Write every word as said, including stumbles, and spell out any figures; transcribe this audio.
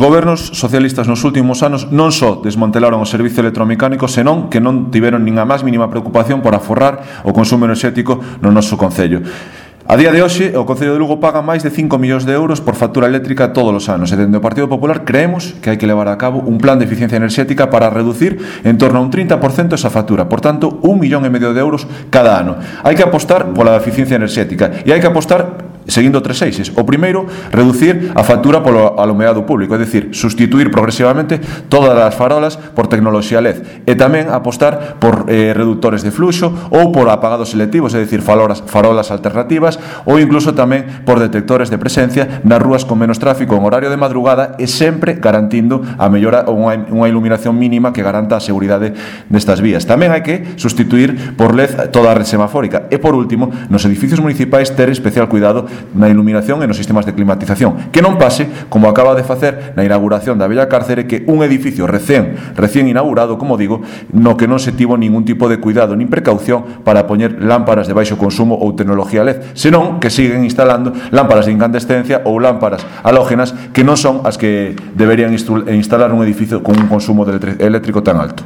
gobernos socialistas nos últimos anos non só desmantelaron o servizo electromecánico, senón que non tiveron nin a máis mínima preocupación por aforrar o consumo enerxético no noso concello. A día de hoxe, o Concello de Lugo paga máis de cinco millóns de euros por factura eléctrica todos os anos, e dende o Partido Popular creemos que hai que levar a cabo un plan de eficiencia enerxética para reducir en torno a un trinta por cento esa factura, por tanto, un millón e medio de euros cada ano. Hai que apostar pola eficiencia enerxética e hai que apostar seguindo tres eixes. O primeiro, reducir a factura polo alumeado público, é dicir, sustituir progresivamente todas as farolas por tecnoloxía L E D, e tamén apostar por eh, reductores de fluxo ou por apagados selectivos, é dicir, farolas, farolas alternativas, ou incluso tamén por detectores de presencia nas rúas con menos tráfico en horario de madrugada, e sempre garantindo a mellora ou unha, unha iluminación mínima que garanta a seguridade destas vías. Tamén hai que sustituir por L E D toda a red semafórica, e por último, nos edificios municipais ter especial cuidado na iluminación e nos sistemas de climatización, que non pase como acaba de facer na inauguración da Bella Cárcere, que un edificio recén, recén inaugurado, como digo, no que non se tivo ningún tipo de cuidado nin precaución para poñer lámparas de baixo consumo ou tecnología L E D, senón que siguen instalando lámparas de incandescencia ou lámparas halógenas que non son as que deberían instalar un edificio con un consumo eléctrico tan alto.